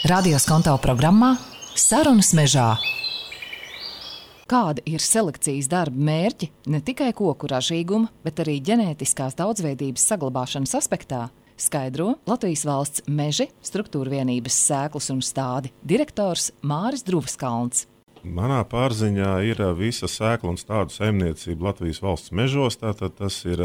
Radio Skonto programmā Sarunas mežā. Kāda ir selekcijas darba mērķi ne tikai koku ražīguma, bet arī ģenētiskās daudzveidības saglabāšanas aspektā, skaidro Latvijas valsts meži struktūra vienības sēklas un stādi direktors Māris Druvaskalns. Manā pārziņā ir visa sēkla un stādu saimniecība Latvijas valsts mežos. Tātad tas ir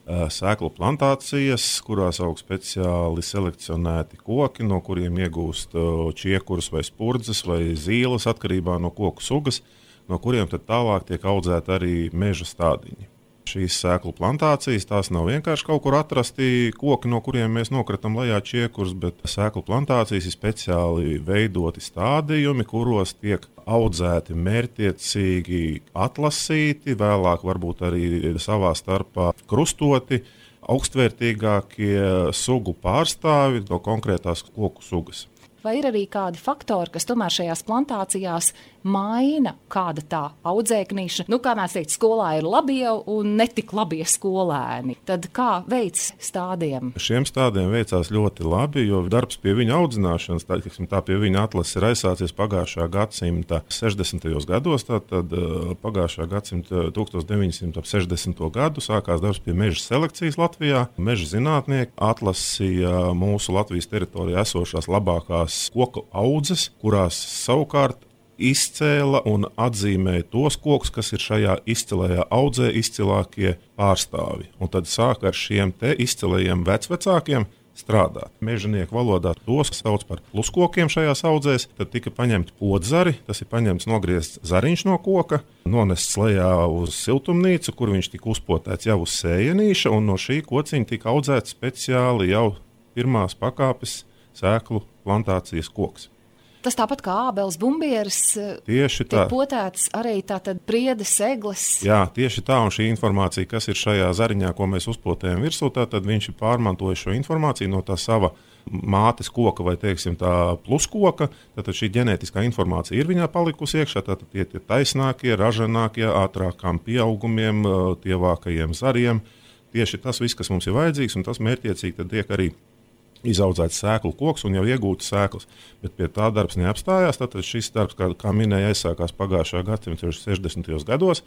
sēklu plantācijas, kurās aug speciāli selekcionēti koki, no kuriem iegūst čiekurus vai spurdzes vai zīles atkarībā no koku sugas, no kuriem tad tālāk tiek audzēti arī meža stādiņi. Šīs sēklu plantācijas, tās nav vienkārši kaut kur atrasti koki, no kuriem mēs nokratam lejā čiekurus, bet sēklu plantācijas ir speciāli veidoti stādījumi, kuros tiek audzēti mērķtiecīgi atlasīti, vēlāk varbūt arī savā starpā krustoti, augstvērtīgākie sugu pārstāvi no konkrētās koku sugas. Vai ir arī kādi faktori, kas tomēr šajās plantācijās maina kāda tā audzēknīša? Kā mēs teikt, skolā ir labie un netik labie skolēni. Tad kā veids stādiem? Šiem stādiem veicās ļoti labi, jo darbs pie viņa audzināšanas, tā pie viņa atlases ir aizsācies pagājušā gadsimta 60. gados. Tātad pagājušā gadsimta 1960. gadu sākās darbs pie meža selekcijas Latvijā. Meža zinātnieki atlasīja mūsu Latvijas teritorijā esošās labākās koku audzes, kurās savukārt izcēla un atzīmēja tos kokus, kas ir šajā izcilajā audzē izcilākie pārstāvi. Un tad sāk ar šiem te izcilajiem vecvecākiem strādāt. Mežanieku valodā tos sauc par pluskokiem šajās audzēs. Tad tika paņemti podzari, tas ir paņemts nogriezts zariņš no koka, nonests lejā uz siltumnīcu, kur viņš tika uzpotēts jau uz sējenīša, un no šī kociņa tika audzēts speciāli jau pirmās pakāpes sēklu plantācijas koks. Tas tāpat kā ābeles bumbieris tiek potēts arī tātad priedes, egles. Jā, tieši tā, un šī informācija, kas ir šajā zariņā, ko mēs uzpotējam virsū, tad viņš ir pārmantojis šo informāciju no tā sava mātes koka vai, teiksim, tā pluskoka. Tātad šī ģenētiskā informācija ir viņā palikusi iekšā, tātad tie taisnākie, ražanākie, ātrākām pieaugumiem, tievākajiem zariem. Tieši tas viss, kas mums ir vajadzīgs, un tas mērķtiecīgi tad tiek arī izaudzēts sēklu koks un jau iegūtas sēklas. Bet pie tā darbs neapstājās. Tātad šis darbs, kā minēja, aizsākās pagājušā gadsimta 60. gados.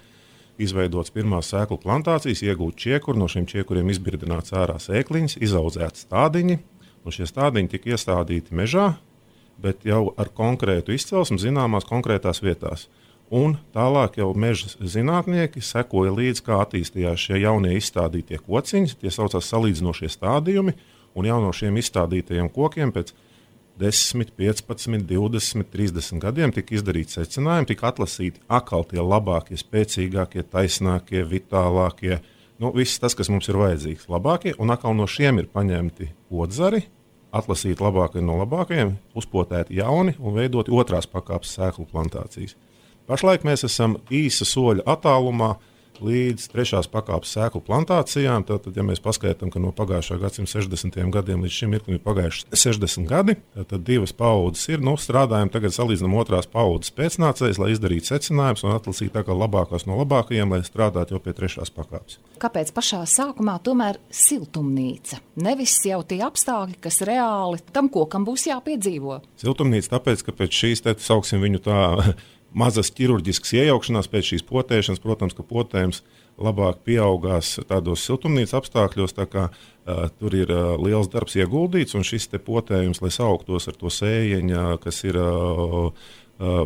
Izveidots pirmās sēklu plantācijas, iegūt čiekuri, no šiem čiekuriem izbirdināts ārā sēkliņas, izaudzēti stādiņi. Un šie stādiņi tika iestādīti mežā, bet jau ar konkrētu izcelsmi zināmās konkrētās vietās. Un tālāk jau meža zinātnieki sekoja līdz, kā attīstījās šie jaunie izstādītie kociņi. Tie saucās salīdzinošie stādījumi. Un jau no šiem izstādītajiem kokiem pēc 10, 15, 20, 30 gadiem tika izdarīti secinājumi, tika atlasīti atkal tie labākie, spēcīgākie, taisnākie, vitālākie. Viss tas, kas mums ir vajadzīgs, labākie. Un atkal no šiem ir paņemti podzari, atlasīti labākie no labākajiem, uzpotēti jauni un veidoti otrās pakāpes sēklu plantācijas. Pašlaik mēs esam īsa soļa attālumā līdz trešās pakāpes sēklu plantācijām. Tad, ja mēs paskaidām, ka no pagājušā gadsimta 60. gadiem līdz šim mirklim ir pagājuši 60 gadi, tad divas paudzes ir. Strādājam tagad salīdzinām otrās paudzes pēcnācējs, lai izdarītu secinājumus un atlasītu tā kā labākās no labākajiem, lai strādātu jau pie trešās pakāpes. Kāpēc pašā sākumā tomēr siltumnīca? Nevis jau tie apstākļi, kas reāli tam kokam būs jāpiedzīvo. Siltumnīca tāpēc, ka pēc šīs, sauksim viņu tā, mazas ķirurģiskas iejaukšanās pēc šīs potēšanas, protams, ka potējums labāk pieaugās tādos siltumnīcas apstākļos, tā kā tur ir liels darbs ieguldīts, un šis te potējums, lai sauktos ar to sējeņa, kas ir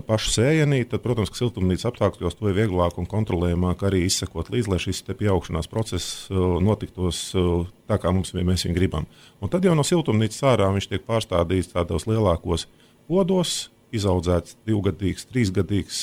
pašu sējenī, tad, protams, ka siltumnīcas apstākļos to ir vieglāk un kontrolējamāk arī izsekot līdz, lai šis te pieaugšanās process notiktos tā, kā mēs viņu gribam. Un tad jau no siltumnīcas ārā viņš tiek pārstādīts tādos lielākos podos, izaudzēts 2-gadīgs, 3-gadīgs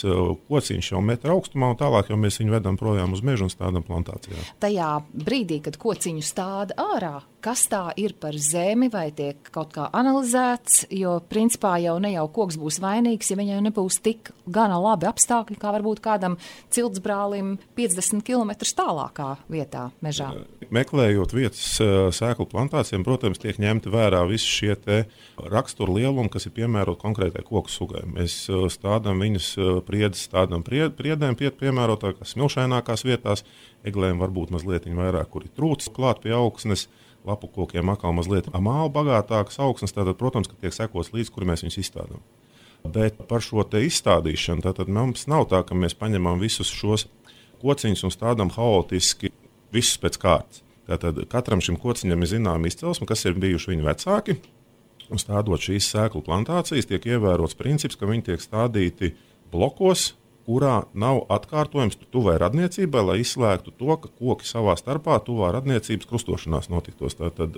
kociņš jau metra augstumā, un tālāk jau mēs viņu vedam projām uz mežu un stādam plantācijā. Tajā brīdī, kad kociņu stāda ārā, kas tā ir par zemi, vai tiek kaut kā analizēts, jo principā jau ne jau koks būs vainīgs, ja viņai nebūs tik gana labi apstākļi, kā varbūt kādam ciltsbrālim 50 km tālākā vietā mežā. Meklējot vietas sēklu plantācijām, protams, tiek ņemti vērā visi šie te rakstura lielumi, kas ir piemēroti konkrētai koku sugai. Mēs stādām viņus priedes, stādām priedēm piemērotākās, smilšainākās vietās. Eglēm varbūt mazliet vairāk, kur ir trūcis klāt pie augsnes. lapu kokiem atkal mazliet māla bagātākas augsnes, tātad, protams, ka tiek sekots līdz, kur mēs viņus izstādām. Bet par šo te izstādīšanu, tātad mums nav tā, ka mēs paņemam visus šos kociņus un stādām haotiski visus pēc kārtas. Tātad katram šim kociņam ir zināma izcelsme, kas ir bijuši viņa vecāki. Un stādot šīs sēklu plantācijas, tiek ievērots princips, ka viņi tiek stādīti blokos, kurā nav atkārtojums tuvai radniecībai, lai izslēgtu to, ka koki savā starpā tuvā radniecības krustošanās notiktos. Tātad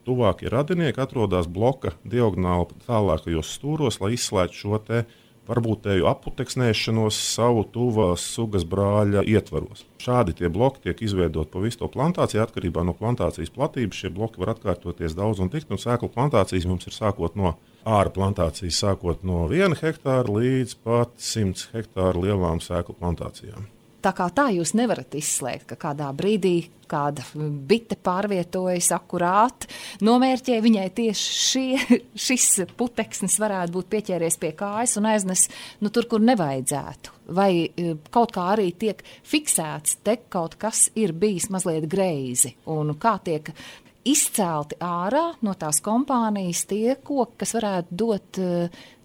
tuvākie radinieki atrodas bloka diagonāli tālākajos stūros, lai izslēgtu šo te varbūtēju aputeksnēšanos savu tuvās sugas brāļa ietvaros. Šādi tie bloki tiek izveidoti pa visu to plantāciju, atkarībā no plantācijas platības. Šie bloki var atkārtoties daudz un tikt, un sēklu plantācijas mums ir sākot no āra plantācijas, sākot no 1 hektāra līdz pat 100 hektāru lielām sēklu plantācijām. Tā kā tā jūs nevarat izslēgt, ka kādā brīdī kāda bite pārvietojas akurāt, nomērķē viņai tieši šis puteksnis varētu būt pieķēries pie kājas un aiznes tur, kur nevajadzētu. Vai kaut kā arī tiek fiksēts, te kaut kas ir bijis mazliet greizi, un kā tiek izcelti ārā no tās kompānijas tie koki, kas varētu dot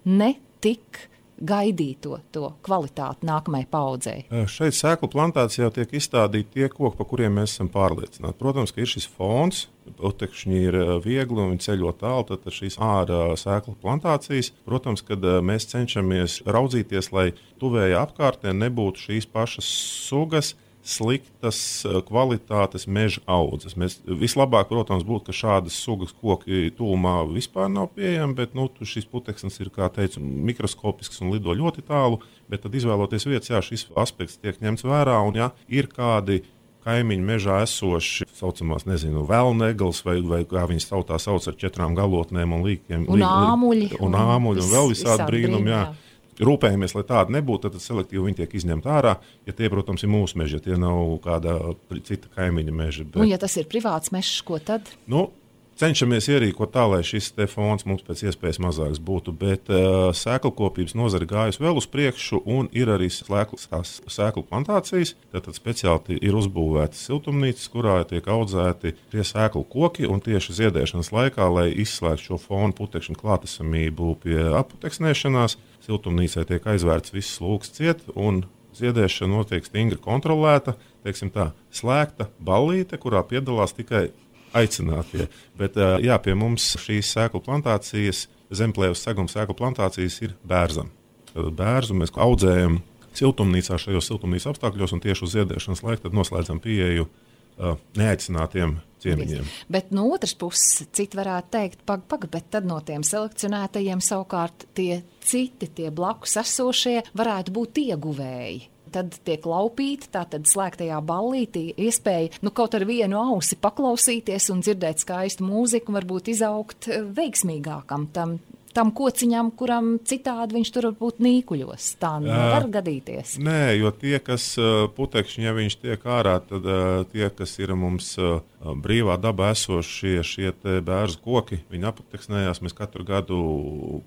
ne tik gaidīto to kvalitāti nākamajai paudzei. Šeit sēklu plantācijā tiek izstādīti tie koki, pa kuriem mēs esam pārliecināti. Protams, ka ir šis fons, putekšņi ir viegli un viņi ceļo tālu, tad šīs ārā sēklu plantācijas. Protams, kad mēs cenšamies raudzīties, lai tuvējā apkārtnē nebūtu šīs pašas sugas, sliktas kvalitātes meža audzes. Mēs vislabāk, protams, būtu, ka šādas sugas koki tūmā vispār nav pieejami, bet šis puteksnis ir, kā teicu, mikroskopisks un lido ļoti tālu, bet tad izvēloties vietas, šis aspekts tiek ņemts vērā, un ir kādi kaimiņu mežā esoši, saucamās, velnegals, vai kā viņas tautā sauc ar 4 galotnēm un līkiem. Un āmuļi. Un vēl visādi brīnumi, jā. Rūpējamies, lai tāda nebūtu, tad selektīvi viņi tiek izņemti ārā. Ja tie, protams, ir mūsu meži, ja tie nav kāda cita kaimiņa meža. Un ja tas ir privāts mežs, ko tad? Cenšamies ierīkot tā, lai šis fons mums pēc iespējas mazāks būtu, bet sēklkopības nozare gājusi vēl uz priekšu un ir arī sēklu plantācijas. Tātad speciāli ir uzbūvētas siltumnīcas, kurā tiek audzēti tie sēklu koki un tieši ziedēšanas laikā, lai izslēgtu šo fonu putekšņu klātesamību pie aputeksnēšanās. Siltumnīcai tiek aizvērts viss lūks ciet un ziedēšana notiek stingri kontrolēta, teiksim tā, slēgta ballīte, kurā piedalās tikai aicinātie. Bet pie mums šīs sēklu plantācijas, zemplēvas seguma sēklu plantācijas ir bērzam. Bērzu mēs audzējam siltumnīcā, šajos siltumnīcas apstākļos, un tieši uz ziedēšanas laiku tad noslēdzam pieeju neaicinātiem ciemiņiem. Bet no otras puses, citi varētu teikt, bet tad no tiem selekcionētajiem savukārt tie citi, tie blakus esošie varētu būt ieguvēji. Tad tiek laupīti, tātad slēgtajā ballītī iespēja kaut ar vienu ausi paklausīties un dzirdēt skaistu mūziku, varbūt izaugt veiksmīgākam tam kociņam, kuram citādi viņš tur varbūt nīkuļos. Tā nevar gadīties. Nē, jo tie, kas putekšņi, ja viņš tiek ārā, tad tie, kas ir mums brīvā dabā esošie šie bērzu koki, viņi aputeksnējās. Mēs katru gadu,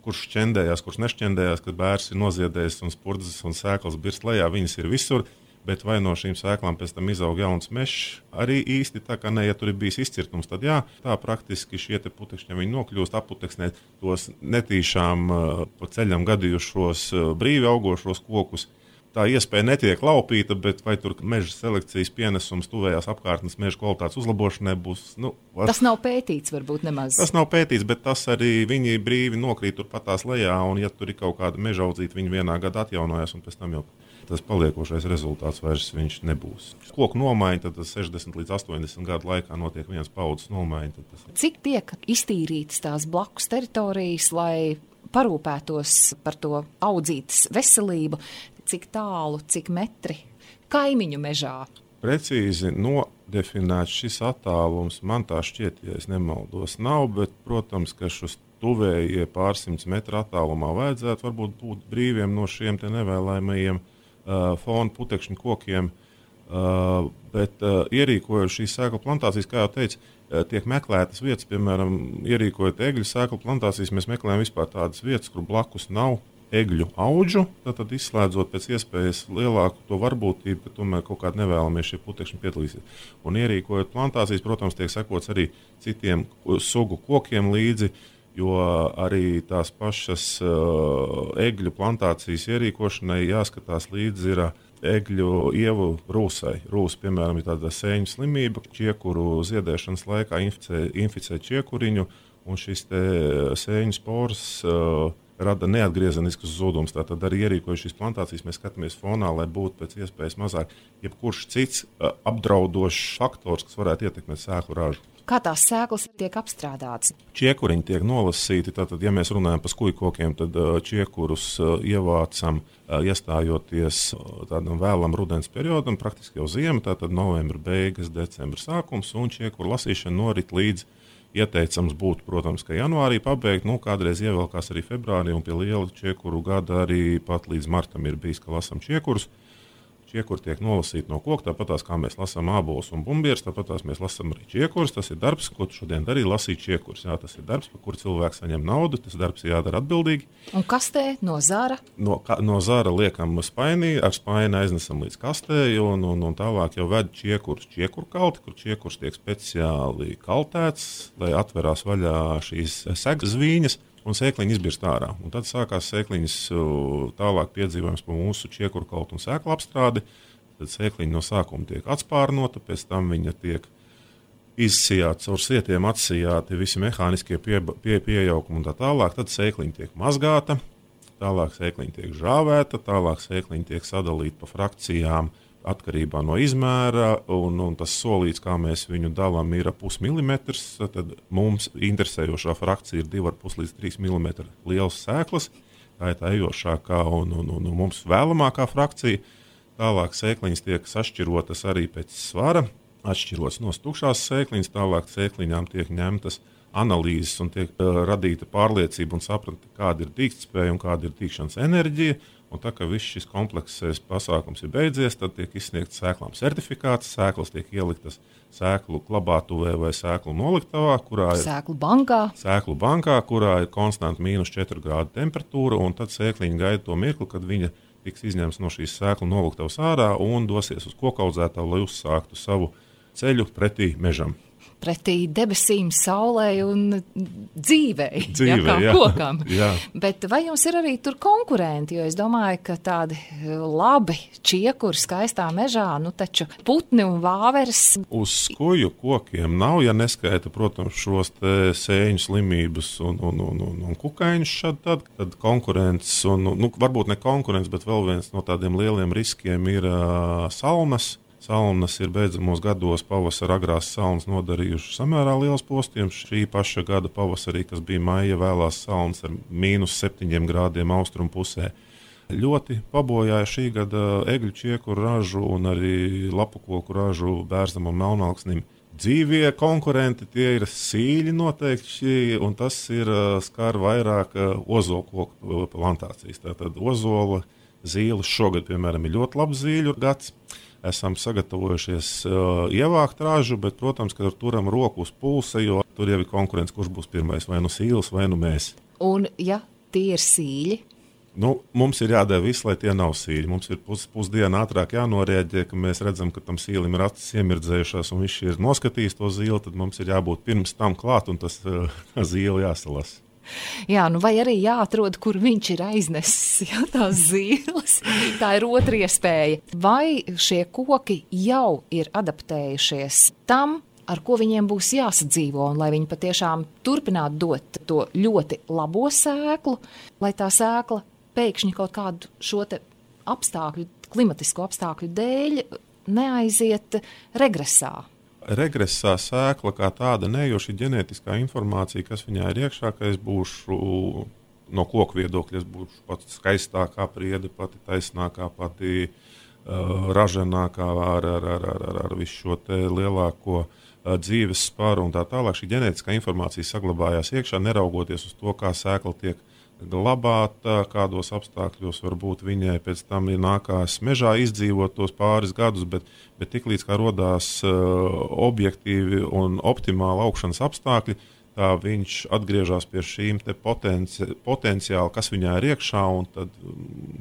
kurš šķendējās, kurš nešķendējās, kad bērs ir noziedējis un spurdzes un sēklas birst lejā, viņas ir visur. Bet vai no šīm sēklām pēc tam izaug jauns mežs? Arī īsti tā kā ja tur ir bijis izcirtums, tad tā praktiski šie putekšņi, viņi nokļūst aputeksnēt tos netīšām pa ceļam gadījušos brīvi augošos kokus. Tā iespēja netiek laupīta, bet vai tur meža selekcijas pienesums tuvējās apkārtnes meža kvalitātes uzlabošanai būs? Tas nav pētīts varbūt nemaz. Tas nav pētīts, bet tas arī viņi brīvi nokrīt turpatās lejā, un ja tur ir kaut kāda meža audzīta, viņi vienā gadā atjaunojas, un pēc tam jau tas paliekošais rezultāts vairs viņš nebūs. Koku nomaiņa, tad 60 līdz 80 gadu laikā notiek viens paudzes nomaiņa. Cik tiek iztīrītas tās blakus teritorijas, lai parūpētos par to audzītas veselību, cik tālu, cik metri kaimiņu mežā? Precīzi nodefinēts šis attālums, man tā šķiet, ja es nemaldos, nav, bet, protams, ka šos tuvējie pārsimts metru attālumā vajadzētu varbūt būt brīviem no šiem nevēlējumajiem fonu putekšņu kokiem, bet ierīkojot šīs sēklu plantācijas, kā jau teicu, tiek meklētas vietas, piemēram, ierīkojot egļu sēklu plantācijas, mēs meklējam vispār tādas vietas, kur blakus nav egļu audžu, tad izslēdzot pēc iespējas lielāku to varbūtību, ka tomēr kaut kādā nevēlamies šie putekšņi piedalīsies. Un ierīkojot plantācijas, protams, tiek sekots arī citiem sugu kokiem līdzi, jo arī tās pašas egļu plantācijas ierīkošanai jāskatās līdzi ir egļu ievu rūsai. Rūsa, piemēram, ir tāda sēņu slimība, čiekuru ziedēšanas laikā inficē čiekuriņu, un šis sēņu spors rada neatgriezeniskus zudumus. Tātad arī ierīkojot šīs plantācijas, mēs skatāmies fonā, lai būtu pēc iespējas mazāk jebkurš cits apdraudošs faktors, kas varētu ietekmēt sēklu ražu. Kā tās sēklas tiek apstrādātas? Čiekuriņi tiek nolasīti. Tātad, ja mēs runājam par skujkokiem, tad čiekurus ievācam, iestājoties tādam vēlam rudens periodam, praktiski jau ziema, tātad novembra beigas, decembra sākums, un čiekuru lasīšana norit līdz ieteicams būtu, protams, ka janvārī pabeigt, kādreiz ievelkās arī februārī, un pie liela čiekuru gada arī pat līdz martam ir bijis, ka lasam čiekurus. Čiekuri tiek nolasīti no koka, tāpatās kā mēs lasām ābolus un bumbieres, tāpatās mēs lasām arī čiekurus. Tas ir darbs, ko tu šodien darīji, lasīt čiekurus. Jā, tas ir darbs, par kuru cilvēks saņem naudu, tas darbs ir jādara atbildīgi. Un kastē no zara? No zara liekam spainī, ar spaini aiznesam līdz kastē, un tālāk jau ved čiekurus čiekuru kalti, kur čiekurs tiek speciāli kaltēts, lai atverās vaļā šīs segas zvīņas. Un sēkliņi izbirst ārā. Un tad sākās sēkliņas tālāk piedzīvojums par mūsu čiekuru kaltu un sēklu apstrādi. Tad sēkliņa no sākuma tiek atspārnota, pēc tam viņa tiek izsijāta caur sietiem, atsijāti visi mehāniskie piejaukumi un tā tālāk. Tad sēkliņa tiek mazgāta, tālāk sēkliņa tiek žāvēta, tālāk sēkliņa tiek sadalīta pa frakcijām atkarībā no izmēra, un tas solīts, kā mēs viņu dalām, ir 0,5 mm. Tad mums interesējošā frakcija ir 2,5 līdz 3 mm lielas sēklas. Tā ir tā ejošākā un mums vēlamākā frakcija. Tālāk sēkliņas tiek sašķirotas arī pēc svara, atšķirotas no tukšās sēkliņas, tālāk sēkliņām tiek ņemtas analīzes un tiek radīta pārliecība un sapratne, kāda ir dīgtspēja un kāda ir dīgšanas enerģija. Un tā kā viss šis komplekss pasākums ir beidzies, tad tiek izsniegts sēklām certifikāts, sēklas tiek ieliktas sēklu glabātuvē vai sēklu noliktavā, kurā ir sēklu bankā, kurā ir konstanta -4 grādu temperatūra, un tad sēkliņa gaida to mirkli, kad viņa tiks izņemts no šīs sēklu noliktavas ārā un dosies uz kokaudzētavu, lai uzsāktu savu ceļu pretī mežam. Pretī debesīm, saulē un dzīvei, kā kokam. Jā. Bet vai jums ir arī tur konkurenti? Jo es domāju, ka tādi labi čiekuri skaistā mežā, taču putni un vāveres. Uz skuju kokiem nav, ja neskaita, protams, šos te sēņu slimības un kukaiņus tad konkurents, varbūt ne konkurents, bet vēl viens no tādiem lieliem riskiem ir salnas. Salnas ir beidzamos gados pavasara agrās salnas nodarījušas samērā liels postījums. Šī paša gada pavasarī, kas bija maija, vēlās salnas ar -7 grādiem austrumu pusē. Ļoti pabojāja šī gada egļu čiekuru ražu un arī lapukoku ražu bērzam un melnalksnim. Dzīvie konkurenti tie ir sīļi noteikti, un tas ir skar vairāk ozolkoku plantācijas. Tātad ozola zīles šogad, piemēram, ir ļoti labs zīļu gads. Esam sagatavojušies ievākt ražu, bet, protams, ka turam roku uz pulsa, jo tur jau ir konkurence, kurš būs pirmais, vai nu sīles, vai nu mēs. Un, ja tie ir sīļi? Mums ir jādara viss, lai tie nav sīļi. Mums ir pusdiena ātrāk jānorēģē, ka mēs redzam, ka tam sīlim ir acis iemirdzējušās, un viņš ir noskatījis to zīli, tad mums ir jābūt pirms tam klāt, un tas zīle jāsalasa. Jā, vai arī jāatrod, kur viņš ir aiznesis, tās zīles. Tā ir otra iespēja. Vai šie koki jau ir adaptējušies tam, ar ko viņiem būs jāsadzīvo, un lai viņi patiešām turpinātu dot to ļoti labo sēklu, lai tā sēkla pēkšņi kaut kādu šo te klimatisko apstākļu dēļ neaiziet regresā? Regresā sēkla kā tāda ne, jo šī ģenētiskā informācija, kas viņā ir iekšā, ka es būšu no koku viedokļa, es būšu pats skaistākā priede, pati taisnākā, pati raženākā ar visu šo te lielāko dzīves sparu un tā tālāk. Šī ģenētiskā informācija saglabājās iekšā, neraugoties uz to, kā sēkla tiek glabāta, kādos apstākļos varbūt viņai pēc tam ir nākās mežā izdzīvot tos pāris gadus, bet tiklīdz kā rodās objektīvi un optimāli augšanas apstākļi, tā viņš atgriežas pie šīm te potenciāli, kas viņā ir iekšā, un tad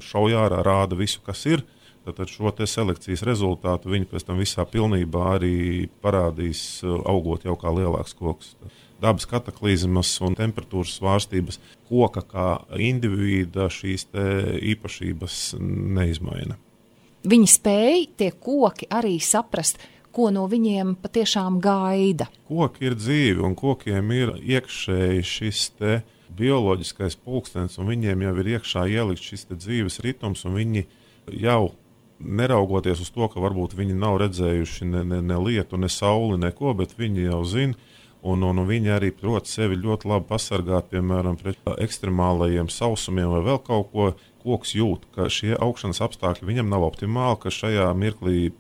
šauj ārā rāda visu, kas ir. Tad šo te selekcijas rezultātu viņi pēc tam visā pilnībā arī parādīs, augot jau kā lielāks koks. Dabas kataklizmas un temperatūras svārstības koka kā individa šīs te īpašības neizmaina. Viņi spēj tie koki arī saprast, ko no viņiem patiešām gaida. Koki ir dzīvi, un kokiem ir iekšēji šis te bioloģiskais pulkstenis, un viņiem jau ir iekšā ielikt šis te dzīves ritms, un viņi jau neraugoties uz to, ka varbūt viņi nav redzējuši ne lietu, ne sauli, neko, bet viņi jau zina, un viņi arī prot sevi ļoti labi pasargāt, piemēram, pret ekstremālajiem sausumiem vai vēl kaut ko. Koks jūt, ka šie augšanas apstākļi viņam nav optimāli, ka šajā mirklī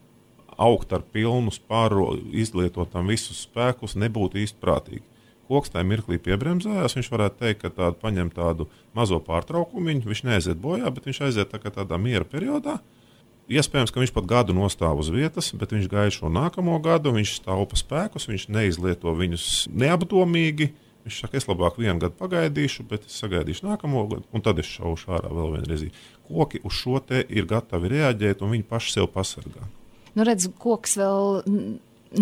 augt ar pilnu spāru, izlietot tam visus spēkus, nebūtu īsti prātīgi. Koks tajā mirklī piebremzējās, viņš varētu teikt, ka paņem tādu mazo pārtraukumu, viņš neaiziet bojā, bet viņš aiziet tādā miera periodā. Iespējams, ka viņš pat gadu nostāv uz vietas, bet viņš gaida šo nākamo gadu, viņš taupa spēkus, viņš neizlieto viņus neapdomīgi. Viņš saka, es labāk 1 gadu pagaidīšu, bet es sagaidīšu nākamo gadu, un tad es šaušu ārā vēl vienreiz. Koki uz šo te ir gatavi reaģēt, un viņi paši sev pasargā. Nu, redz, koks vēl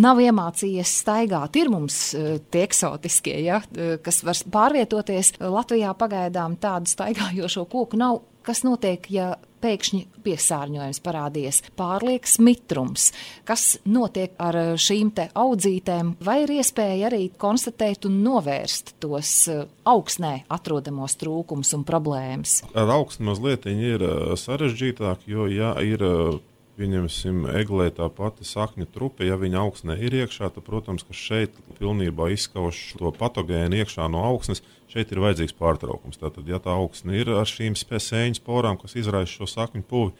nav iemācījies staigāt. Ir mums tie eksotiskie, ja, kas var pārvietoties. Latvijā pagaidām tādu staigājošo koku nav. Kas notiek, ja pēkšņi piesārņojums parādījies, pārlieks mitrums? Kas notiek ar šīm te audzītēm? Vai ir iespēja arī konstatēt un novērst tos augsnē atrodamos trūkumus un problēmas? Ar augsni mazliet ir sarežģītāk, jo ja ir, pieņemsim, eglē tā pati sakņu trupe, ja viņa augsnē ir iekšā, tad, protams, ka šeit pilnībā izskauž to patogēnu iekšā no augsnes, šeit ir vajadzīgs pārtraukums. Tātad, ja tā augsne ir ar šīm sēņu sporām, kas izraisa šo sakņu puvi,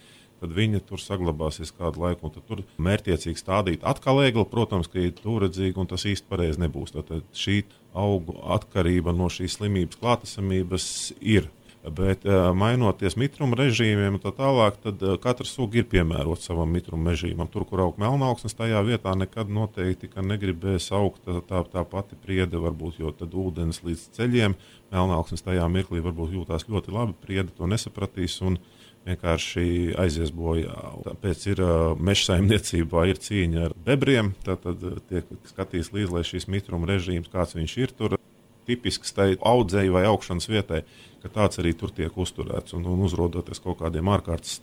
tad viņa tur saglabāsies kādu laiku, un tad tur mērķiecīgi stādīt atkal egli, protams, ka ir tūredzīgi, un tas īsti pareizi nebūs. Tātad šī augu atkarība no šīs slimības klātesamības ir. Bet mainoties mitruma režīmiem un tā tālāk, tad katra suga ir piemērota savam mitruma režīmam. Tur, kur aug melnaugsnes, tajā vietā nekad noteikti negribēs augt tā pati priede, varbūt, jo tad ūdens līdz ceļiem melnaugsnes tajā mirklī varbūt jūtās ļoti labi, priede to nesapratīs un vienkārši aizies bojā. Tāpēc ir meža saimniecībā ir cīņa ar bebriem, tad tiek skatīs līdz, lai šīs mitruma režīms, kāds viņš ir tur, tipisks tai audzēji vai augšanas vietai, ka tāds arī tur tiek uzturēts un uzrodoties kaut kādiem ārkārtas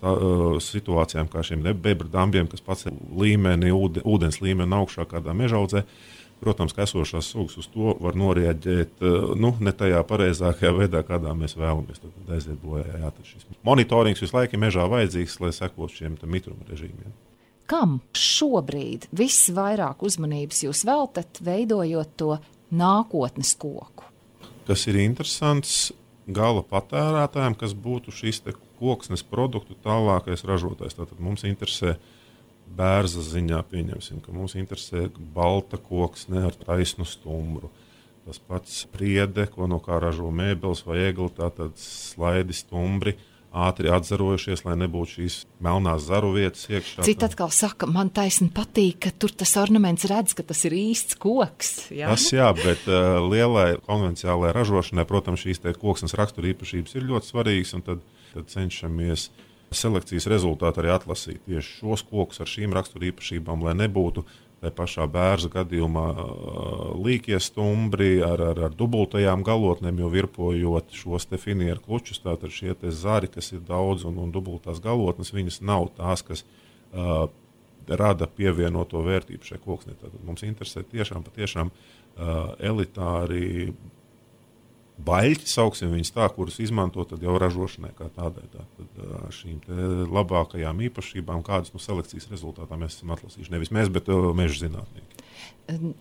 situācijām, kā šiem bebra dambiem, kas pats līmeni, ūdens līmeni augšā kādā mežaudzē. Protams, ka esošās sugas uz to var norēģēt ne tajā pareizākajā veidā, kādā mēs vēlamies. Tad aiziet bojā. Tad šis monitorings visu laiku mežā vajadzīgs, lai sekot šiem mitruma režīmiem. Kam šobrīd visvairāk uzmanības jūs veltat, veidojot to nākotnes koku? Kas ir interesants gala patērētājiem, kas būtu šīs te koksnes produktu tālākais ražotājs. Tātad mums interesē bērza ziņā, pieņemsim, ka mums interesē balta koksne ar taisnu stumbru. Tas pats priede, ko no kā ražo mēbeles vai egli, tātad slaidi stumbri, ātri atzarojušies, lai nebūtu šīs melnās zaru vietas iekšā. Citi atkal saka, man taisni patīk, ka tur tas ornaments redz, ka tas ir īsts koks. Jā? Tas jā, bet lielai konvencionālajai ražošanai, protams, šīs koksnes raksturīpašības ir ļoti svarīgas, un tad cenšamies selekcijas rezultātu arī atlasīt tieši šos kokus ar šīm raksturīpašībām, lai nebūtu tā pašā bērza gadījumā līkie stumbri ar dubultajām galotnēm, jo virpojot šos te finieru klučus, tātad šie te zari, kas ir daudz un dubultās galotnes, viņas nav tās, kas rada pievienoto vērtību šai koksnē. Tātad mums interesē patiešām elitāri baļķi, sauksim viņus tā, kurus izmanto tad jau ražošanai kā tādai. Tātad šīm te labākajām īpašībām, kādas no selekcijas rezultātā mēs esam atlasījuši. Nevis mēs, bet meža zinātnieki.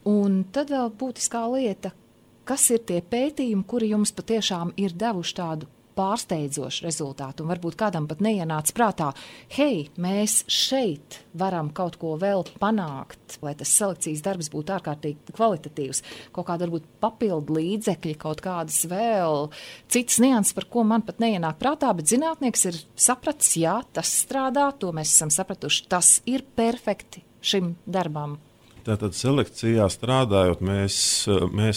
Un tad vēl būtiskā lieta, kas ir tie pētījumi, kuri jums patiešām ir devuši tādu pārsteidzošu rezultātu, un varbūt kādam pat neienāca prātā, hei, mēs šeit varam kaut ko vēl panākt, lai tas selekcijas darbs būtu ārkārtīgi kvalitatīvs, kaut kāda varbūt papildu līdzekļi, kaut kādas vēl citas nianses, par ko man pat neienāk prātā, bet zinātnieks ir sapratis, jā, tas strādā, to mēs esam sapratuši, tas ir perfekti šim darbam. Tātad selekcijā strādājot, mēs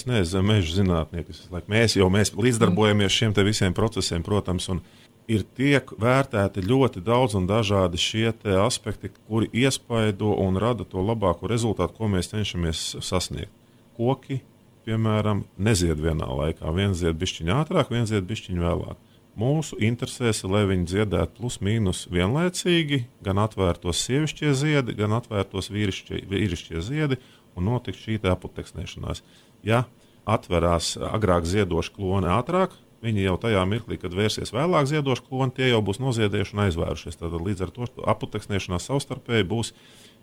neesam meža zinātnieki. Mēs līdzdarbojamies šiem te visiem procesiem, protams, un tiek vērtēti ļoti daudz un dažādi šie aspekti, kuri iespaido un rada to labāko rezultātu, ko mēs cenšamies sasniegt. Koki, piemēram, nezied vienā laikā. Viens zied bišķiņ ātrāk, viens zied bišķiņ vēlāk. Mūsu interesēs, lai viņi dziedētu plus mīnus vienlaicīgi, gan atvērtos sievišķie ziedi, gan atvērtos vīrišķie ziedi, un notiks šī aputeksnēšanās. Ja atverās agrāk ziedoši kloni ātrāk, viņi jau tajā mirklī, kad vērsies vēlāk ziedoši kloni, tie jau būs noziedējuši un aizvērušies. Tātad līdz ar to aputeksnēšanās savstarpēji būs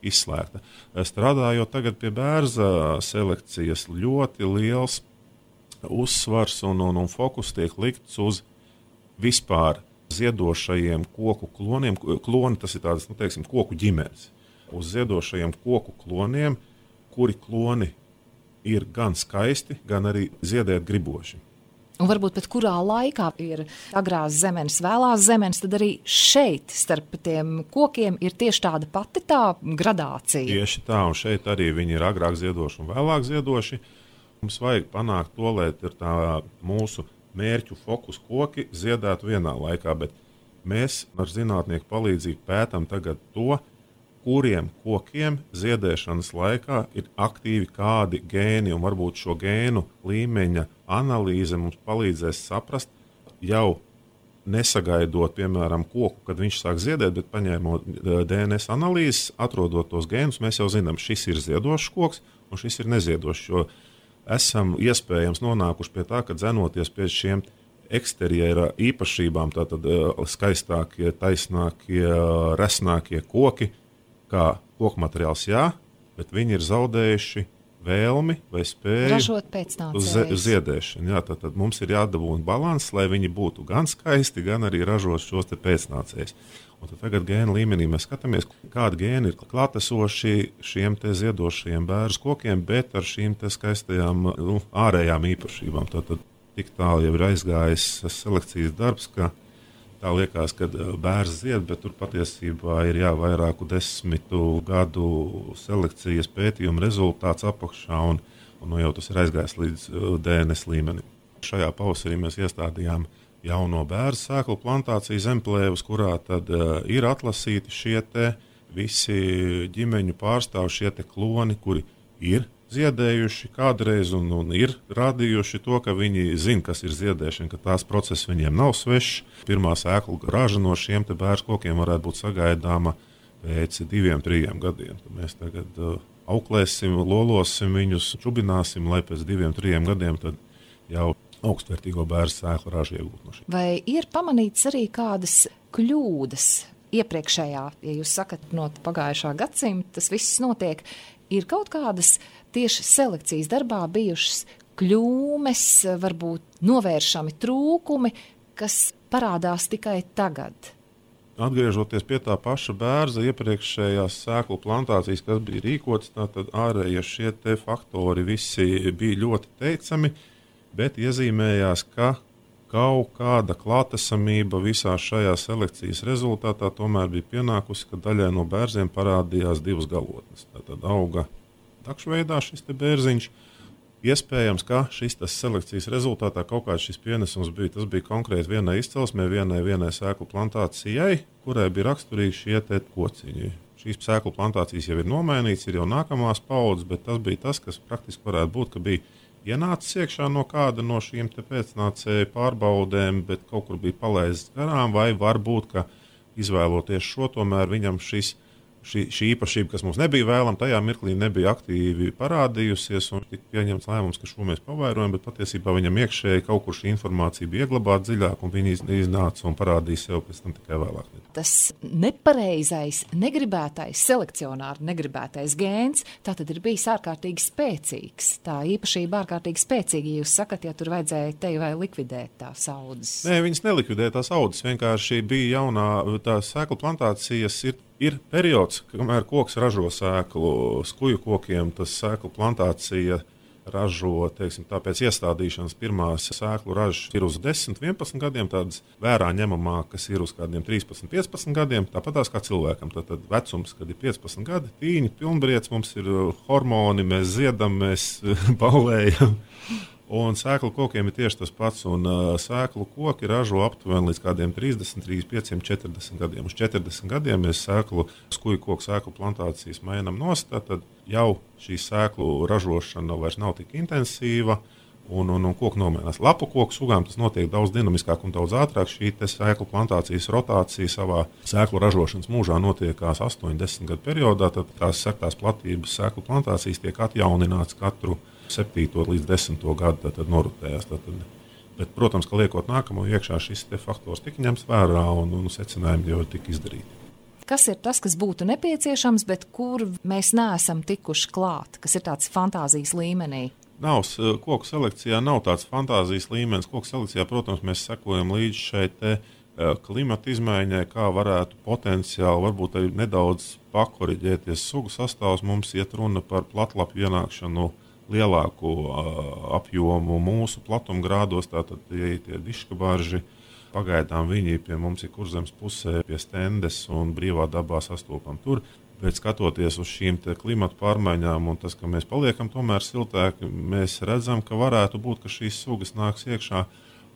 izslēgta. Strādājot tagad pie bērza selekcijas, ļoti liels uzsvars un fokus tiek likts uz vispār ziedošajiem koku kloniem. Kloni tas ir tādas, koku ģimenes. Uz ziedošajiem koku kloniem, kuri kloni ir gan skaisti, gan arī ziedēt griboši. Un varbūt pat kurā laikā ir agrās zemenes, vēlās zemenes, tad arī šeit starp tiem kokiem ir tieši tāda pati tā gradācija. Tieši tā, un šeit arī viņi ir agrāk ziedoši un vēlāk ziedoši. Mums vajag panākt to, lai ir tā mūsu mērķu fokus koki ziedētu vienā laikā, bet mēs ar zinātnieku palīdzību pētam tagad to, kuriem kokiem ziedēšanas laikā ir aktīvi kādi gēni, un varbūt šo gēnu līmeņa analīze mums palīdzēs saprast, jau nesagaidot, piemēram, koku, kad viņš sāk ziedēt, bet paņēmot DNS analīzes, atrodot tos gēnus, mēs jau zinām, šis ir ziedošs koks un šis ir neziedošs, jo esam iespējams nonākuši pie tā, ka dzenoties pie šiem eksterjera īpašībām, tātad skaistākie, taisnākie, resnākie koki, kā koku materiāls, jā, bet viņi ir zaudējuši vēlmi vai spēju ražot pēcnācējus. Uz ziedēšanu. Jā, tad mums ir jādabūna balanss, lai viņi būtu gan skaisti, gan arī ražot šos te pēcnācējus. Un tad tagad gēnu līmenī mēs skatāmies, kādi gēni ir klātesoši šiem te ziedošajiem bērzu kokiem, bet ar šīm te skaistajām ārējām īpašībām. Tātad tik tālu jau ir aizgājis selekcijas darbs, ka tā liekas, ka bērns zied, bet tur patiesībā ir vairāku 10 gadu selekcijas pētījuma rezultāts apakšā, un jau tas ir aizgājis līdz DNS līmenim. Šajā pavasarī mēs iestādījām jauno bērzu sēklu plantāciju zemplēvus, kurā tad ir atlasīti šie te visi ģimeņu pārstāvji, šie te kloni, kuri ir ziedējuši kādreiz un ir rādījuši to, ka viņi zina, kas ir ziedēšana, ka tās process viņiem nav svešs. Pirmā sēklu raža no šiem te bērzu kokiem varētu būt sagaidāma pēc 2-3 gadiem. Tad mēs tagad auklēsim, lolosim viņus, čubināsim, lai pēc 2-3 gadiem tad jau augstvērtīgo bērzu sēklu ražu iegūt no šī. Vai ir pamanīts arī kādas kļūdas iepriekšējā, ja jūs sakat no pagājušā gadsimta, tas viss notiek, ir kaut kādas tieši selekcijas darbā bijušas kļūmes, varbūt novēršami trūkumi, kas parādās tikai tagad? Atgriežoties pie tā paša bērza iepriekšējās sēklu plantācijas, kas bija rīkotas, tātad ārējie šie te faktori visi bija ļoti teicami, bet iezīmējās, ka kaut kāda klātesamība visā šajā selekcijas rezultātā tomēr bija pienākusi, ka daļai no bērziem parādījās 2 galotnes. Tātad auga takšveidā šis te bērziņš. Iespējams, ka šis selekcijas rezultātā kaut kāds šis pienesums bija. Tas bija konkrēti vienai izcelsmē, vienai sēklu plantācijai, kurai bija raksturīgi šie te kociņi. Šīs sēklu plantācijas jau ir nomainītas, ir jau nākamās paudzes, bet tas bija tas, kas praktiski varētu būt, ka bija ienācis iekšā no kāda no šīm pēcnācēju pārbaudēm, bet kaut kur bija palaists garām, vai varbūt, ka izvēloties šo, tomēr viņam šī īpašība, kas mums nebija vēlama, tajā mirklī nebija aktīvi parādījusies, un tika pieņemts lēmums, ka šo mēs pavairojam, bet patiesībā viņam iekšēji kaut kur šī informācija bija ieglabāta dziļāk, un viņi iznāca un parādīja sev pēc tam tikai vēlāk. Tas nepareizais, negribētais, selekcionāri negribētais gēns, tā tad ir bijis ārkārtīgi spēcīgs. Tā īpašība ārkārtīgi spēcīga, ja jūs sakat, ja tur vajadzēja te vai likvidēt tās audzes. Nē, viņas nelikvidēja tās audzes, vienkārši bija jaunā, tās sēklu plantācijas ir periods, kamēr koks ražo sēklu. Skuju kokiem tas sēklu plantācija ražo, teiksim, pēc iestādīšanas pirmās sēklu ražas ir uz 10, 11 gadiem, tādas vērā ņemamākas ir uz kādiem 13, 15 gadiem, tāpatās kā cilvēkam. Tad vecums, kad ir 15 gadi, tīņi, pilnbriets, mums ir hormoni, mēs ziedam, mēs baulējam. Un sēklu kokiem ir tieši tas pats, un sēklu koki ražo aptuveni līdz kādiem 30, 35, 40 gadiem. Uz 40 gadiem mēs skuju koku sēklu plantācijas mainām nost, tad jau šī sēklu ražošana vairs nav tik intensīva, un koku nomainās. Lapu koku sugām tas notiek daudz dinamiskāk un daudz ātrāk. Šī sēklu plantācijas rotācija savā sēklu ražošanas mūžā notiekās 8-10 gadu periodā, tad tās sektās platības sēklu plantācijas tiek atjaunināts katru 7. līdz 10. gadu, tad norotējās. Bet, protams, ka liekot nākamo iekšā, šis faktors tika ņemts vērā un secinājumi jau tika izdarīti. Kas ir tas, kas būtu nepieciešams, bet kur mēs neesam tikuši klāt, kas ir tāds fantāzijas līmenī? Koku selekcijā nav tāds fantāzijas līmenis. Koku selekcijā, protams, mēs sekojam līdz šai klimata izmaiņai, kā varētu potenciāli varbūt arī nedaudz pakoriģēties sugu sastāvs. Mums iet runa par platlapju ienākšanu lielāku apjomu mūsu platumgrādos, tātad tie diškabarži. Pagaidām viņi pie mums ir Kurzemes pusē, pie stendes un brīvā dabā sastopam tur. Bet skatoties uz šīm klimata pārmaiņām un tas, ka mēs paliekam tomēr siltāki, mēs redzam, ka varētu būt, ka šīs sugas nāks iekšā.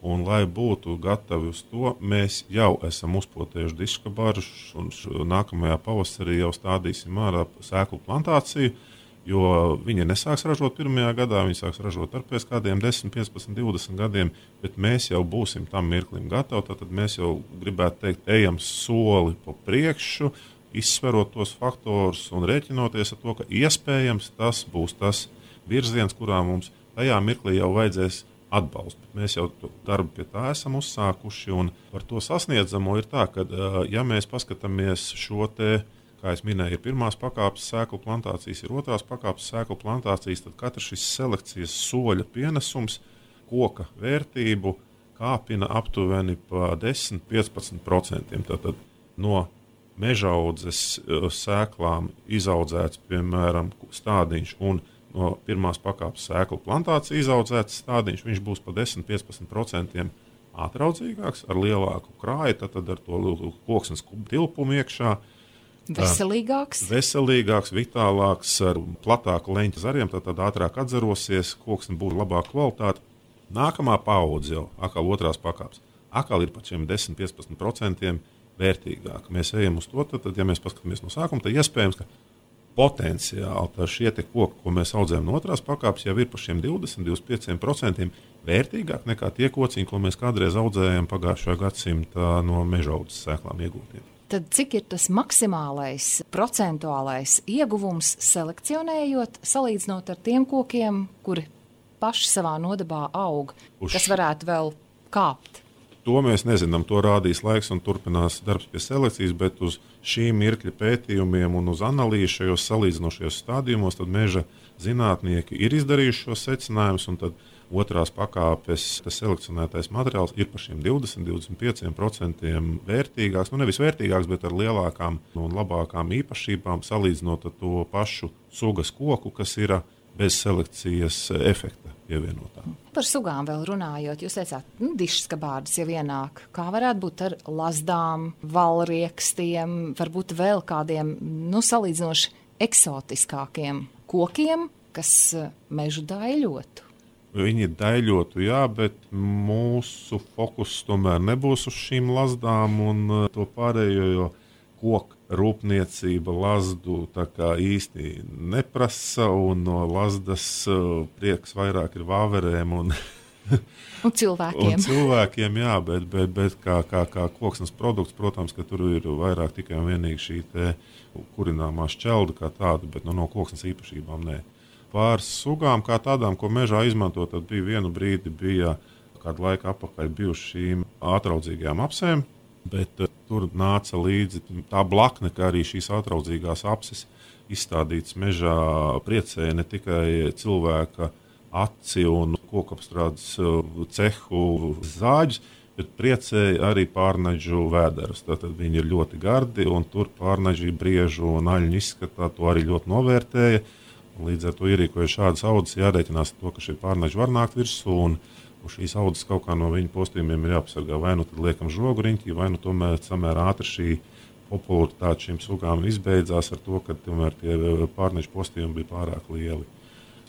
Un, lai būtu gatavi uz to, mēs jau esam uzpotējuši diškabaržus un nākamajā pavasarī jau stādīsim ārā sēklu plantāciju. Jo viņi nesāks ražot pirmajā gadā, viņi sāks ražot pēc kādiem 10, 15, 20 gadiem, bet mēs jau būsim tam mirklim gatavi. Tad mēs jau gribētu teikt, ejam soli pa priekšu, izsverot tos faktorus un rēķinoties ar to, ka iespējams tas būs tas virziens, kurā mums tajā mirklī jau vajadzēs atbalstu. Bet mēs jau darbu pie tā esam uzsākuši, un par to sasniedzamo ir tā, ka, ja mēs paskatāmies šo kā es minēju, ir pirmās pakāpes sēklu plantācijas, ir otrās pakāpes sēklu plantācijas, tad katrs šis selekcijas soļa pienesums koka vērtību kāpina aptuveni pa 10-15%. Tātad no mežaudzes sēklām izaudzēts, piemēram, stādiņš un no pirmās pakāpes sēklu plantācija izaudzēts stādiņš, viņš būs pa 10-15% ātraudzīgāks, ar lielāku krāju, tad ar to koksnes tilpumu iekšā. Veselīgāks, vitālāks, ar platāku leņķa zariem, tad ātrāk atzarosies, koksne būs labāka kvalitāte. Nākamā paudze jau, atkal otrās pakāpes, atkal ir par šiem 10-15% vērtīgāk. Mēs ejam uz to, tad, ja mēs paskatāmies no sākuma, tad iespējams, ka potenciāli šie koki, ko mēs audzējam no otrās pakāpes, jau ir par šiem 20-25% vērtīgāk nekā tie kociņi, ko mēs kādreiz audzējam pagājušā gadsimta no mežaudzes sēklām iegūtiem. Tad cik ir tas maksimālais procentuālais ieguvums selekcionējot, salīdzinot ar tiem kokiem, kuri paši savā nodabā aug, kas varētu vēl kāpt? To mēs nezinām, to rādīs laiks un turpinās darbs pie selekcijas, bet uz šī mirkļa pētījumiem un uz analīzi šajos salīdzinošajos stādījumos tad meža zinātnieki ir izdarījuši šos secinājumus, un tad otrās pakāpes selekcionētais materiāls ir par šiem 20-25% vērtīgāks. Nevis vērtīgāks, bet ar lielākām un labākām īpašībām salīdzinot ar to pašu sugas koku, kas ir bez selekcijas efekta pievienotā. Par sugām vēl runājot, jūs teicāt, dišskabārdas jau ienāk. Kā varētu būt ar lazdām, valriekstiem, varbūt vēl kādiem salīdzinoši eksotiskākiem kokiem, kas mežu daļotu? Viņi daļotu, jā, bet mūsu fokus tomēr nebūs uz šīm lazdām un to pārējo, jo koku rūpniecība lazdu tā kā īsti neprasa, un no lazdas prieks vairāk ir vāverēm un cilvēkiem. Un cilvēkiem, jā, bet kā koksnes produkts, protams, ka tur ir vairāk tikai un vienīgi šī kurināmā šķelda kā tāda, bet no koksnes īpašībām nē. Pār sugām kā tādām, ko mežā izmanto, tad bija vienu brīdi, kādu laiku atpakaļ bijuši šīm ātraudzīgajām apsēm, bet tur nāca līdzi tā blakne, ka arī šīs ātraudzīgās apses izstādītas mežā priecēja ne tikai cilvēka aci un kokapstrādes cehu zāģis, bet priecēja arī pārnaģu vēderus. Tātad viņi ir ļoti gardi un tur pārnaģi briežu un aļņu izskatā to arī ļoti novērtēja. Līdz ar to ierīkojot šādas audzes, jārēķinās to, ka šie pārnaži var nākt virsū, un šīs audzes kaut kā no viņu postījumiem ir jāpasargā. Vai nu tad liekam žogu riņķī, vai nu tomēr samērā ātri šī popularitāte šīm sugām izbeidzās ar to, ka tomēr tie pārnaži postījumi bija pārāk lieli.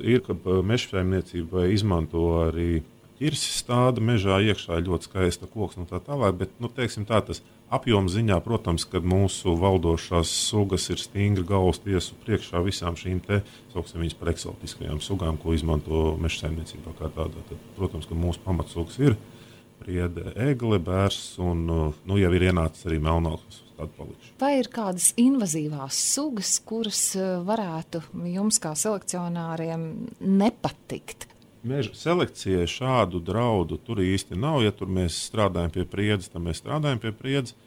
Ir, ka mežsaimniecībai izmanto arī ķirsis stāda mežā, iekšā ļoti skaista koksne un tā tālāk, bet, teiksim tā, tas apjoma ziņā, protams, kad mūsu valdošās sugas ir stingri galvas tiesu priekšā visām šīm sauksim viņas par eksotiskajām sugām, ko izmanto mežsaimniecībā kā tādā. Tad, protams, ka mūsu pamatsugas ir priede, egle, bērs un, jau ir ienācis arī melnāks atpalikšs. Vai ir kādas invazīvās sugas, kuras varētu jums kā selekcionāriem nepatikt? Meža selekcijai šādu draudu tur īsti nav. Ja tur mēs strādājam pie priedzes, tad mēs strādājam pie priedzes.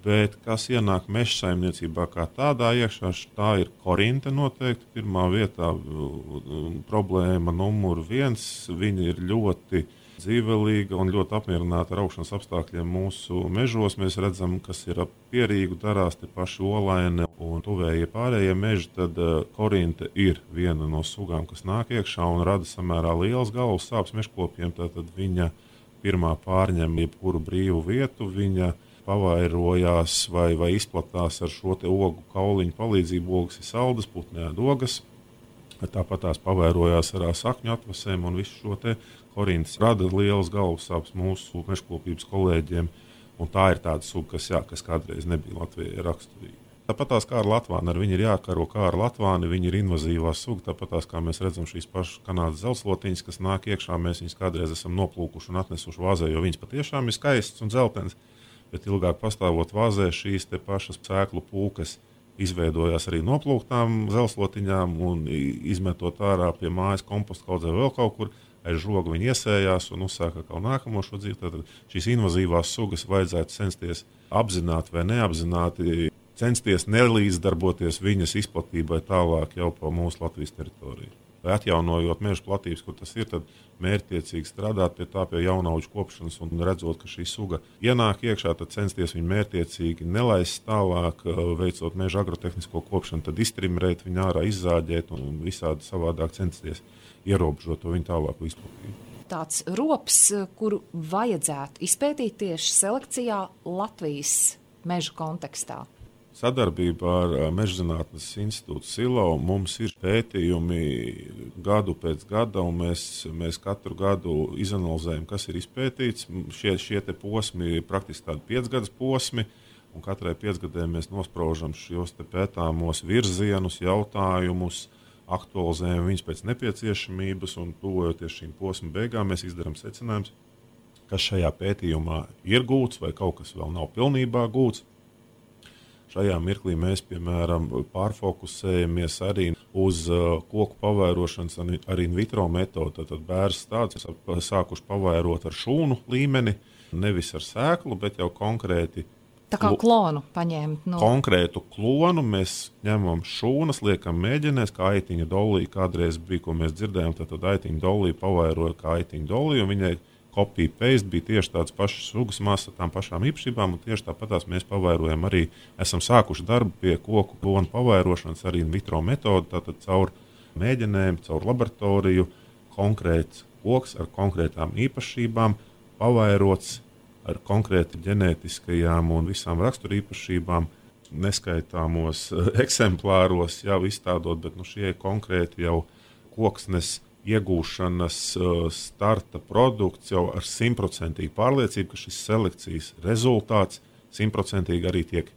Bet kas ienāk mežsaimniecībā kā tādā iekšā, tā ir korinte noteikti. Pirmā vietā problēma numur 1. Viņa ir ļoti dzīvelīga un ļoti apmierināta ar augšanas apstākļiem mūsu mežos. Mēs redzam, kas ir ap Pierīgu darās, te paši olaini un tuvējie pārējie meži, tad korinte ir viena no sugām, kas nāk iekšā un rada samērā liels galvas sāpes mežkopiem. Tātad viņa pirmā pārņem jebkuru brīvu vietu, viņa pavairojās vai izplatās ar šo te ogu kauliņu palīdzību. Ogas ir saldas, putni ēd ogas. Tāpat tās pavairojās ar sakņu atvasēm un visu šo te korintas rada lielas galvas sāpes mūsu mežkopības kolēģiem. Un tā ir tāda suga, kas kādreiz nebija Latvijai raksturīga. Tāpat tās kā ar latvāni, ar viņu ir jākaro kā ar latvāni, viņi ir invazīvā suga. Tāpat tās kā mēs redzam šīs pašas Kanādas zeltslotiņas, kas nāk iekšā, mēs viņus kādreiz esam noplūkuši un atnesuši vāzē, jo viņas patiešām ir skaistas un dzeltenas. Bet ilgāk pastāvot vāzē, šīs te pašas sēklu pūkas izveidojās arī noplūktām zeltslotiņām un izmetot ārā pie mājas kompostu kaudzē vēl kaut kur. Aiz žoga viņi iesējās un uzsāka kaut nākamo šo dzīvi. Tad šīs invazīvās sugas vajadzētu censties apzināti vai neapzināti, censties nelīdzdarboties viņas izplatībai tālāk jau pa mūsu Latvijas teritoriju. Vai atjaunojot meža platības, kur tas ir, tad mērķtiecīgi strādāt pie jaunauģu kopšanas un redzot, ka šī suga ienāk iekšā, tad censties viņu mērķtiecīgi nelaist tālāk, veicot meža agrotehnisko kopšanu, tad iztrimrēt viņu ārā, izzāģēt un visādi savādāk censties ierobežot to viņu tālāku izplatību. Tāds rops, kuru vajadzētu izpētīt tieši selekcijā Latvijas mežu kontekstā. Sadarbībā ar Mežzinātnes institūtu Silo mums ir pētījumi gadu pēc gada, un mēs katru gadu izanalizējam, kas ir izpētīts. Šie te posmi ir praktiski tādi 5 gadus posmi, un katrai 5 gadē mēs nospraužam šos te pētāmos virzienus, jautājumus, aktualizējam viņus pēc nepieciešamības, un tuvojoties šīm posmu beigām, mēs izdarām secinājumus, kas šajā pētījumā ir gūts vai kaut kas vēl nav pilnībā gūts. Šajā mirklī mēs, piemēram, pārfokusējamies arī uz koku pavairošanas ar in vitro metodi. Tad bērns tāds sākuši pavairot ar šūnu līmeni, nevis ar sēklu, bet jau konkrēti. Tā kā klonu paņemt. Konkrētu klonu mēs ņemam šūnas, liekam mēģinēs, kā aitiņa dolija kādreiz bija, ko mēs dzirdējām. Tad aitiņa dolija pavairoja kā aitiņa dolija, un viņai kopija paste bija tieši tāds pašs sugas masa, tām pašām īpašībām, un tieši tāpatās mēs pavairojam arī, esam sākuši darbu pie koku klonu pavairošanas arī in vitro metodi, tātad caur mēģinēm, caur laboratoriju, konkrēts koks ar konkrētām īpašībām, pavairots ar konkrēti ģenētiskajām un visām raksturīpašībām, neskaitāmos eksemplāros jau izstādot, bet šie konkrēti jau koksnes iegūšanas starta produkts jau ar 100% pārliecību, ka šis selekcijas rezultāts 100% arī tiek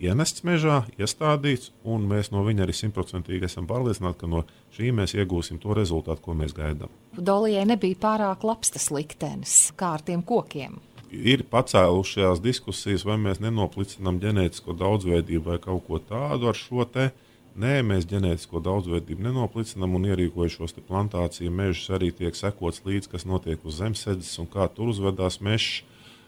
ienests mežā, iestādīts, un mēs no viņa arī 100% esam pārliecināti, ka no šī mēs iegūsim to rezultātu, ko mēs gaidām. Dolijai nebija pārāk labs tas liktenis, kā ar tiem kokiem. Ir pacēlušās diskusijas, vai mēs nenoplicinām ģenētisko daudzveidību vai kaut ko tādu ar šo te. Nē, mēs ģenētisko daudzveidību nenoplicinām un ierīkojušos plantāciju mežus arī tiek sekots līdz, kas notiek uz zemesēdzes un kā tur uzvedās mežs.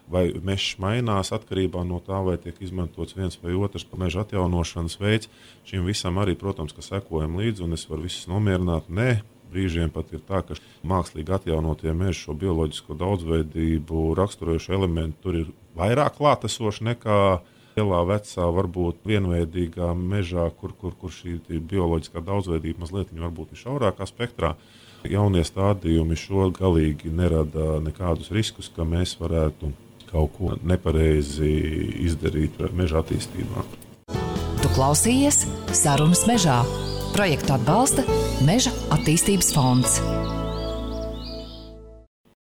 Vai mežs mainās atkarībā no tā, vai tiek izmantots viens vai otrs meža atjaunošanas veids. Šim visam arī, protams, ka sekojam līdzi, un es varu visus nomierināt. Nē, brīžiem pat ir tā, ka mākslīgi atjaunotie meži šo bioloģisko daudzveidību raksturojušo elementu tur ir vairāk klātesoši nekā lielā vecā, varbūt vienveidīgā mežā, kur šī bioloģiskā daudzveidība mazliet varbūt ir šaurākā spektrā. Jaunie stādījumi šo galīgi nerada nekādus riskus, ka mēs varētu kaut ko nepareizi izdarīt meža attīstībā. Tu klausījies Sarunas mežā. Projektu atbalsta Meža attīstības fonds.